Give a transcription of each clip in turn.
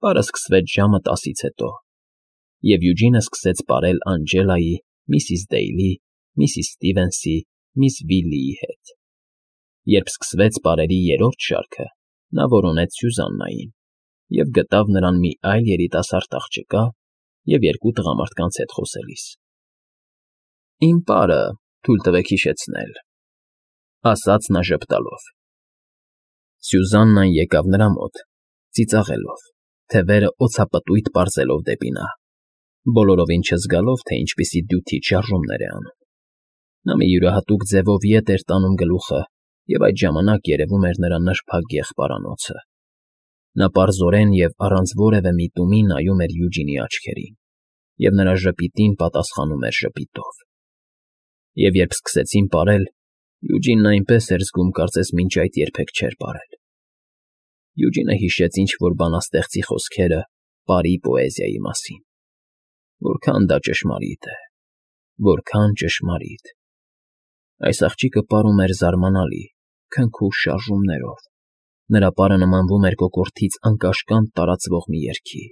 Պարը սկսվեց ժամը 10-ից հետո, և Յուջինը սկսեց պարել Անջելայի, միսիս Դեյլի, միսիս Սթիվենսի, միս Վիլլիի հետ։ Երբ սկսվեց պարերի երրորդ շարքը, նա որոնեց Սյուզաննային և գտավ նրան մի այլ երիտասարդ աղջկա և երկու տղամարդկանց հետ խոսելիս։ ֊ Իմ պարը, թույլ տվեք հիշեցնել,֊ ասաց նա ժպտալով։ Սյուզաննան եկավ նրա մոտ, ծիծաղելով, թևերը օձապտույտ պարզելով դեպի նա, բոլորովին չզգալով, թե ինչպիսի դյութիչ շարժումներ է անում։ Նա մի յուրահատուկ ձևով ետ էր տանում գլուխը, և այդ ժամանակ երևում էր նրա նրբագեղ պարանոցը։ Նա պարզորեն և առանց որևէ միտումի նայում էր Յուջինի աչքերին, և նրա ժպիտին պատասխանում էր ժպիտով։ Եվ երբ սկսեցին պարել, Յուջինն այնպես էր զգում, կարծես մինչ այդ երբեք չէր պարել։ Յուջինը հիշեց ինչ֊որ բանաստեղծի խոսքերը պարի պոեզիայի մասին։ Որքան դա ճշմարիտ է, որքան ճշմարիտ… Այս աղջիկը պարում էր զարմանալի, քնքուշ շարժումներով, նրա պարը նմանվում էր կոկորդից անկաշկանդ տարածվող մի երգի։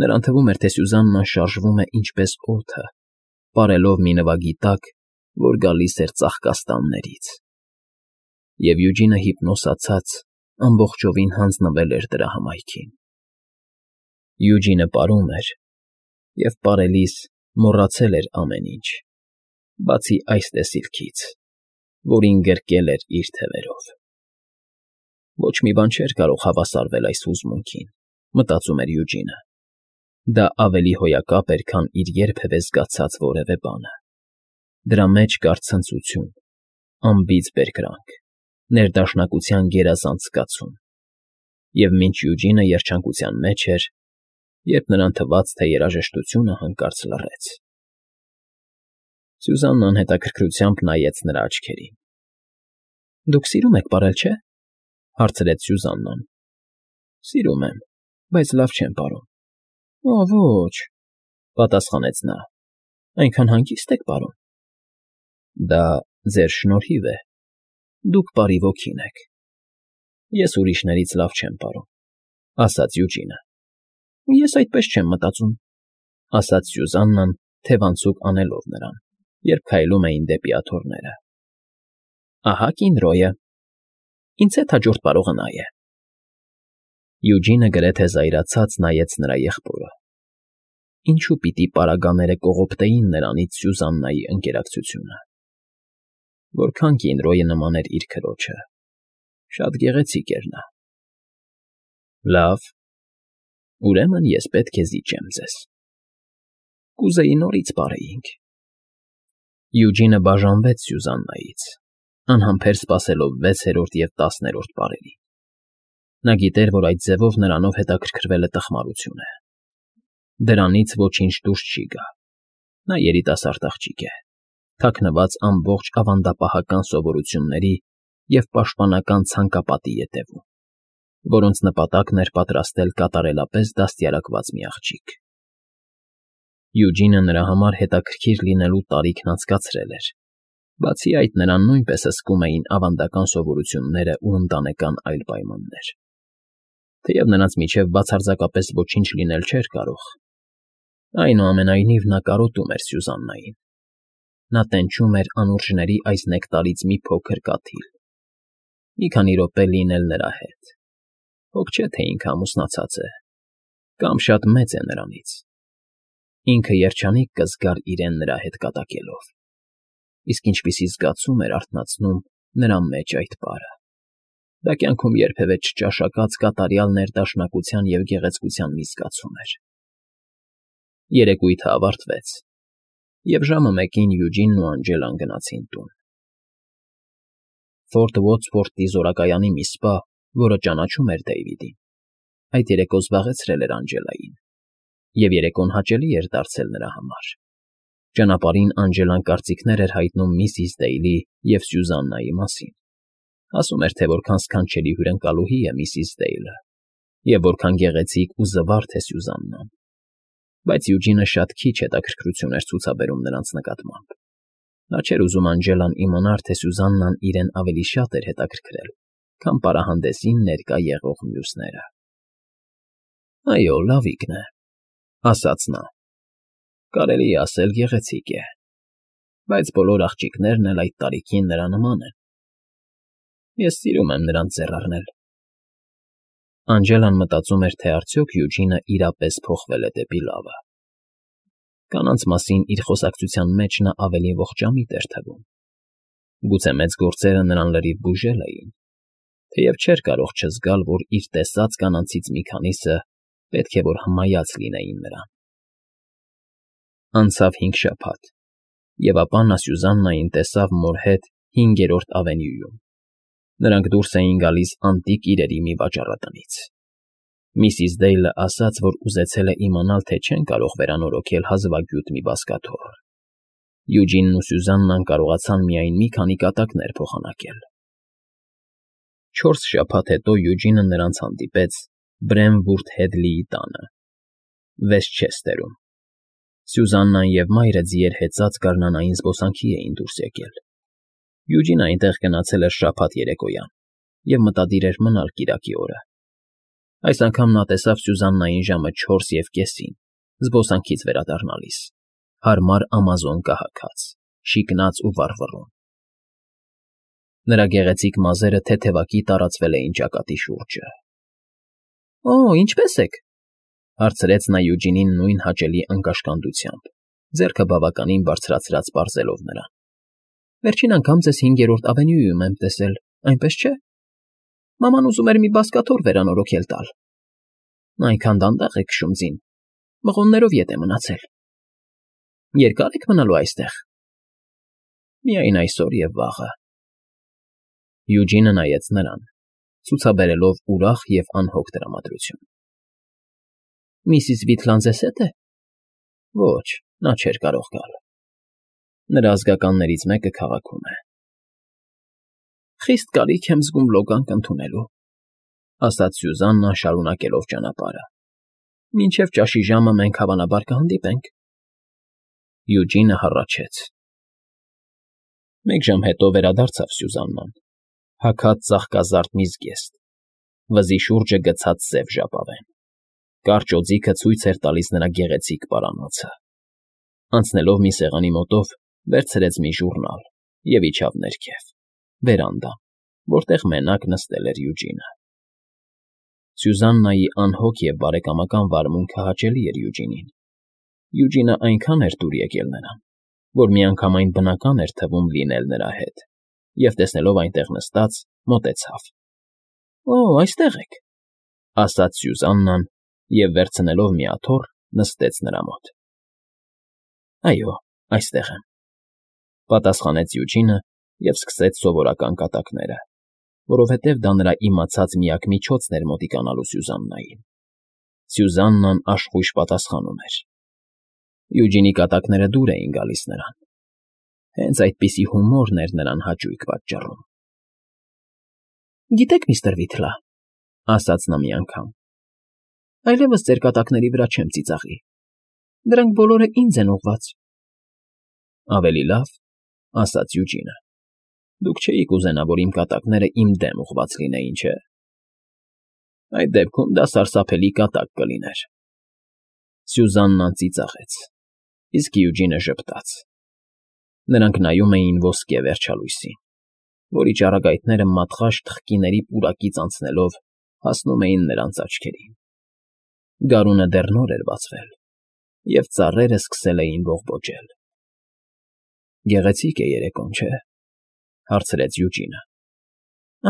Նրան թվում էր, թե Սյուզաննան շարժվում է ինչպես օդը, պարելով մի նվագի տակ, որ գալիս էր ծաղկաստաններից։ Եվ Յուջինը հիպնոսացած ամբողջովին հանձնվել էր դրա հմայքին։ Յուջինը պարում էր և պարելիս մոռացել էր ամեն ինչ, բացի այս տեսիլքից, որին գրկել էր իր թևերով։ Ոչ մի բան չէր կարող հավասարվել այս հուզմունքին, մտածում էր Յուջինը։ Դա ավելի հոյակապ էր, քան իր երբևէ զգացած որևէ բանը։ Դրա մեջ կար ցնծություն, անբիծ բերկրանք, ներդաշնակության գերազանց զգացում։ Եվ մինչ Յուջինը երջանկության մեջ էր, երբ նրան թվաց, թե երաժշտությունը հանկարծ լռեց։ Սյուզաննան հետաքրքրությամբ նայեց նրա աչքերին։ ֊ Դուք սիրում եք պարել, չէ՞, հարցրեց Սյուզաննան։ ֊ Սիրում եմ, բայց լավ չեմ պարում։ ֊ Ոչ,֊ պատասխանեց նա,֊ այնքան հանգիստ եք պարում։ ֊ Դա ձեր շնորհիվ է, դուք պարի ոգին եք։ ֊ Ես ուրիշներից լավ չեմ պարում,֊ ասաց Յուջինը։ ֊ Ես այդպես չեմ մտածում,֊ ասաց Սյուզաննան, թևանցուկ անելով նրան, երբ քայլում էին դեպի աթոռները։ ֊ Ահա կին Ռոյը… Ինձ հետ հաջորդ պարողը նա է։ Յուջինը գրեթե զայրացած նայեց նրա եղբորը։ Ինչո՞ւ պիտի պարագաները կողոպտեին նրանից Սյուզաննայի ընկերակցությունը։ Որքան կին Ռոյը նման էր իր քրոջը… Շատ գեղեցիկ էր նա։ Լավ, ուրեմն ես պետք է զիջեմ ձեզ։ Կուզեի նորից պարեինք։ Յուջինը բաժանվեց Սյուզաննայից, անհամբեր սպասելով 6-րդ և 10-րդ պարերին։ Նա գիտեր, որ այդ ձևով նրանով հետաքրքրվելը տխմարություն է։ Դրանից ոչինչ դուրս չի գա։ Նա երիտասարդ աղջիկ է, թաքնված ամբողջ ավանդապահական սովորությունների և պաշտպանական ցանկապատի ետևում, որոնց նպատակն էր պատրաստել կատարելապես դաստիարակված մի աղջիկ։ Յուջինը նրա համար հետաքրքիր լինելու տարիքն անցկացրել էր, բացի այդ նրան նույնպես հսկում էին ավանդական սովորությունները ու ընտանեկան այլ պայմաններ։ Թեև նրանց միջև բացարձակապես ոչինչ լինել չէր կարող, այնուամենայնիվ նա կարոտում էր Սյուզաննային։ Նա տենչում էր անուրջների այս նեկտարից մի փոքր կաթիլ։ Մի քանի րոպե լինել նրա հետ։ Հոգ չէ, թե ինքը ամուսնացած է, կամ շատ մեծ է նրանից։ Ինքը երջանիկ կզգար իրեն նրա հետ կատակելով։ Իսկ ինչպիսի զգացում էր արթնացնում նրա մեջ այդ պարը… Դա կյանքում երբևէ չճաշակած կատարյալ ներդաշնակության և գեղեցկության մի զգացում էր։ Երեկույթը ավարտվեց, և ժամը 1-ին Յուջինն ու Անջելան գնացին տուն։ Ֆորտ Ուոթսվորթի զորակայանի մի սպա, որը ճանաչում էր Դեյվիդին, այդ երեկո զբաղեցրել էր Անջելային, և երեկոն հաճելի էր դարձել նրա համար։ Ճանապարհին Անջելան կարծիքներ էր հայտնում միսիս Դեյլի և Սյուզաննայի մասին, ասում էր, թե որքան սքանչելի հյուրընկալուհի է միսիս Դեյլը և որքան գեղեցիկ ու զվարթ է Սյուզաննան, բայց Յուջինը շատ քիչ հետաքրքրություն էր ցուցաբերում նրանց նկատմամբ։ Նա չէր ուզում Անջելան իմանար, թե Սյուզաննան իրեն ավելի շատ էր հետաքրքրել, քան պարահանդեսին ներկա եղող մյուսները։ Այո, լավիկն է, ասաց նա։ Կարելի է ասել գեղեցիկ է, բայց բոլոր աղջիկներն էլ այդ տարիքին նրա նման են։ Ես սիրում եմ նրանց ձեռ առնել։ Անջելան մտածում էր, թե արդյոք Յուջինը իրապես փոխվել է դեպի լավը։ Կանանց մասին իր խոսակցության մեջ նա ավելի ողջամիտ էր թվում։ Գուցե մեծ գործերը նրան լրիվ բուժել էին, թեև չէր կարող չզգալ, որ իր տեսած կանանցից մի քանիսը պետք է որ հմայած լինեին նրան։ Անցավ 5 շաբաթ, և ապա նա Սյուզաննային տեսավ մոր հետ 5-րդ ավենյուում։ Նրանք դուրս էին գալիս անտիկ իրերի մի վաճառատնից։ Միսիս Դեյլը ասաց, որ ուզեցել է իմանալ, թե չեն կարող վերանորոգել հազվագյուտ մի բազկաթոռ։ Յուջինն ու Սյուզաննան կարողացան միայն մի քանի կատակներ փոխանակել։ 4 շաբաթ հետո Յուջինը նրանց հանդիպեց Բրեմվուրթ Հեդլիի տանը, Վեսթչեսթերում։ Սյուզաննան և մայրը ձիեր հեծած գարնանային զբոսանքի էին դուրս եկել։ Յուջինը այնտեղ գնացել էր շաբաթ երեկոյան և մտադիր էր մնալ կիրակի օրը։ Այս անգամ նա տեսավ Սյուզաննային ժամը 4:30-ին, զբոսանքից վերադառնալիս, հարմար ամազոն կահաքած, շիկնած ու վառվռուն։ Նրա գեղեցիկ մազերը թեթևակի տարածվել էին ճակատի շուրջը։ «Օ, ինչպե՞ս եք», հարցրեց նա Յուջինին նույն հաճելի անկաշկանդությամբ, ձեռքը բավականին բարձրացրած պարզելով նրան։ «Վերջին անգամ ձեզ 5-րդ ավենյուում եմ տեսել, այնպես չէ։ Մաման ուզում էր մի բազկաթոռ վերանորոգել տալ։ Նա այնքան դանդաղ է քշում ձին, մղոններով ետ է մնացել։ Երկա՞ր եք մնալու այստեղ»։ «Միայն այսօր և վաղը»։ Յուջինը նայեց նրան, ցուցաբերելով ուրախ և անհոգ տրամադրություն։ «Միսիս Վիթլան ձեզ հետ է»։ Ոչ, նա չէր կարող գալ։ Նրա ազգականներից մեկը քաղաքում է։ «Խիստ կարիք եմ զգում լոգանք ընդունելու», ասաց Սյուզաննան, շարունակելով ճանապարհը։ «Մինչև ճաշի ժամը մենք հավանաբար կհանդիպենք»։ Յուջինը հառաչեց։ 1 ժամ հետո վերադարձավ Սյուզաննան, հագած ծաղկազարդ մի զգեստ, վզի շուրջը գցած սև ժապավեն։ Կարճ օձիքը ցույց էր տալիս նրա գեղեցիկ պարանոցը։ Անցնելով մի սեղանի մոտով, վերցրեց մի ժուռնալ և իջավ ներքև, վերանդա, որտեղ մենակ նստել էր Յուջինը։ Սյուզաննայի անհոգ և բարեկամական վարմունքը հաճելի էր Յուջինին։ Յուջինը այնքան էր դուր եկել նրան, որ միանգամայն բնական էր թվում լինել նրա հետ, և տեսնելով այնտեղ նստած, մոտեցավ։ «Օ, այստեղ եք», ասաց Սյուզաննան և, վերցնելով մի աթոռ, նստեց նրա մոտ։ «Այո, այստեղ եմ», պատասխանեց Յուջինը և սկսեց սովորական կատակները, որովհետև դա նրա իմացած միակ միջոցն էր մոտիկանալու Սյուզաննային։ Սյուզաննան աշխույժ պատասխանում էր։ Յուջինի կատակները դուր էին գալիս նրան։ Հենց այդպիսի հումորն էր նրան հաճույք պատճառում։ «Գիտեք, միստր Վիթլա», ասաց նա մի անգամ, այլևս ձեր կատակների վրա չեմ ծիծաղի։ Դրանք բոլորը ինձ են ուղղված։ «Ավելի լավ», ասաց Յուջինը։ «Դուք չէիք ուզենա, որ իմ կատակները իմ դեմ ուղղված լինեին, չէ՞։ Այդ դեպքում դա սարսափելի կատակ կլիներ»։ Սյուզաննան ծիծաղեց, իսկ Յուջինը ժպտաց։ Նրանք նայում էին ոսկե վերջալույսին, որի ճառագայթները մատղաշ թխկիների պուրակից անցնելով հասնում էին նրանց աչքերին։ Գարունը դեռ նոր էր բացվել, և ծառերը սկսել էին բողբոջել։ «Գեղեցիկ է երեկոն, չէ՞, հարցրեց Յուջինը։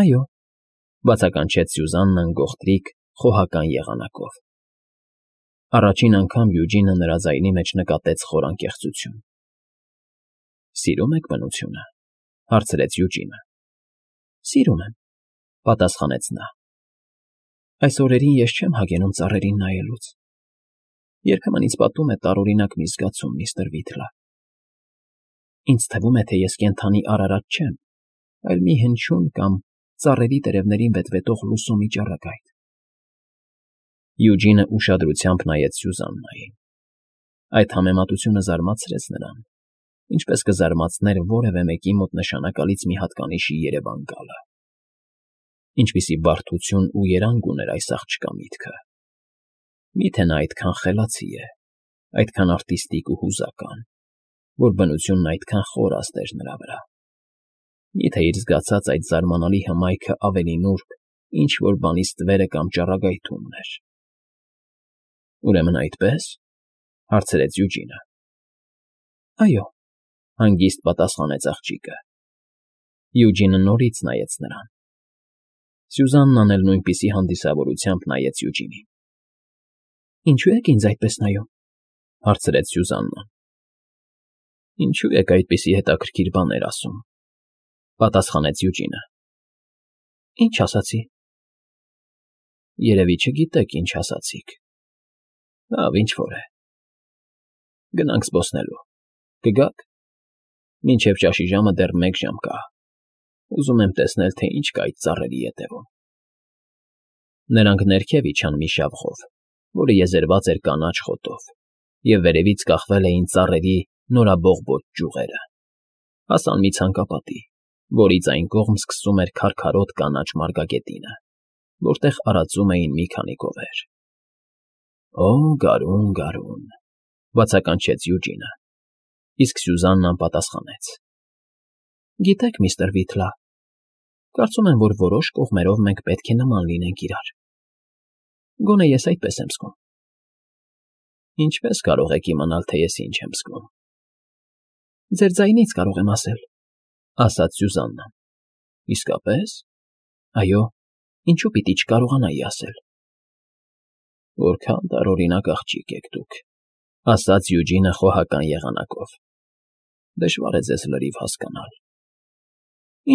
«Այո», բացականչեց Սյուզաննան գողտրիկ, խոհական եղանակով։ Առաջին անգամ Յուջինը նրա ձայնի մեջ նկատեց խոր անկեղծություն։ «Սիրում եք բնությունը», հարցրեց Յուջինը։ «Սիրում եմ», պատասխանեց նա։ «Այս օրերին ես չեմ հագենում ծառերին նայելուց։ Երբեմն ինձ պատում է տարօրինակ մի զգացում, միստր Վիթլա։ Ինձ թվում է, թե ես կենդանի արարած չեմ, այլ մի հնչյուն կամ ծառերի տերևներին վետվետող լուսո մի ճառագայթ»։ Յուջինը ուշադրությամբ նայեց Սյուզաննային։ Այդ համեմատությունը զարմացրեց նրան, ինչպես կզարմացներ որևէ մեկի մոտ նշանակալից մի հատկանիշի երևան գալը։ Ինչպիսի բարդություն ու երանգ ուներ այս աղջկա միտքը։ Միթե նա այդքան խելացի է, այդքան արտիստիկ ու հուզական, որ բնությունն այդքան խորաստ էր նրա վրա։ Միթե իր զգացած այդ զարմանալի հմայքը ավելի նուրբ ինչ֊որ բանի ստվերը կամ ճառագայթումն էր։ Ուրեմն այդպե՞ս,֊ հարցրեց Յուջինը։ Այո,֊ հանգիստ պատասխանեց աղջիկը։ Յուջինը նորից նայեց նրան։ Սյուզաննան էլ նույնպիսի հանդիսավորությամբ նայեց Յուջինին։ Ինչո՞ւ եք ինձ այդպես նայում,֊ հարցրեց Սյուզաննան։ Ինչո՞ւ եք այդպիսի հետաքրքիր բաներ ասում,֊ պատասխանեց Յուջինը։ Ինչ ասացի։ Երևի չգիտեք ինչ ասացիք։ Լավ, ինչ֊որ է։ Գնանք զբոսնելու։ Կգա՞ք։ Մինչև ճաշի ժամը դեռ 1 ժամ կա։ Ուզում եմ տեսնել, թե ինչ կա այդ ծառերի ետևում։ Նրանք ներքև իջան մի շավխով, որը եզերված էր կանաչ խոտով, և վերևից կախվել էին ծառերի նորաբողբոջ ճյուղերը։ Հասան մի ցանկապատի, որից այն կողմ սկսում էր քարքարոտ կանաչ մարգագետինը, որտեղ արածում էին մի քանի գովեր։ Օ, գարուն, գարուն,֊ բացականչեց Յուջինը, իսկ Սյուզաննան պատասխանեց. Գիտեք, միստր Վիթլա, կարծում եմ, որ որոշ կողմերով մենք պետք է նման լինենք իրար։ Գոնե ես այդպես եմ զգում։ Ինչպե՞ս կարող եք իմանալ, թե ես ինչ եմ զգում։ Ձեր ձայնից կարող եմ ասել,֊ ասաց Սյուզաննան։ Իսկապե՞ս։ Այո, ինչու պիտի չկարողանայի ասել։ Որքան տարօրինակ աղջիկ եք դուք,֊ ասաց Յուջինը խոհական եղանակով։ Դժվար է ձեզ լրիվ հասկանալ։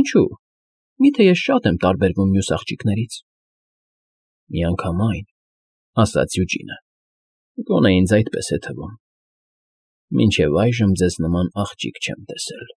Ինչու՞։ Միթե ես շատ եմ տարբերվում մյուս աղջիկներից։ Միանգամայն,֊ ասաց Յուջինը։ Գոնե ինձ այդպես է թվում։ Մինչև այժմ ձեզ նման աղջիկ չեմ տեսել։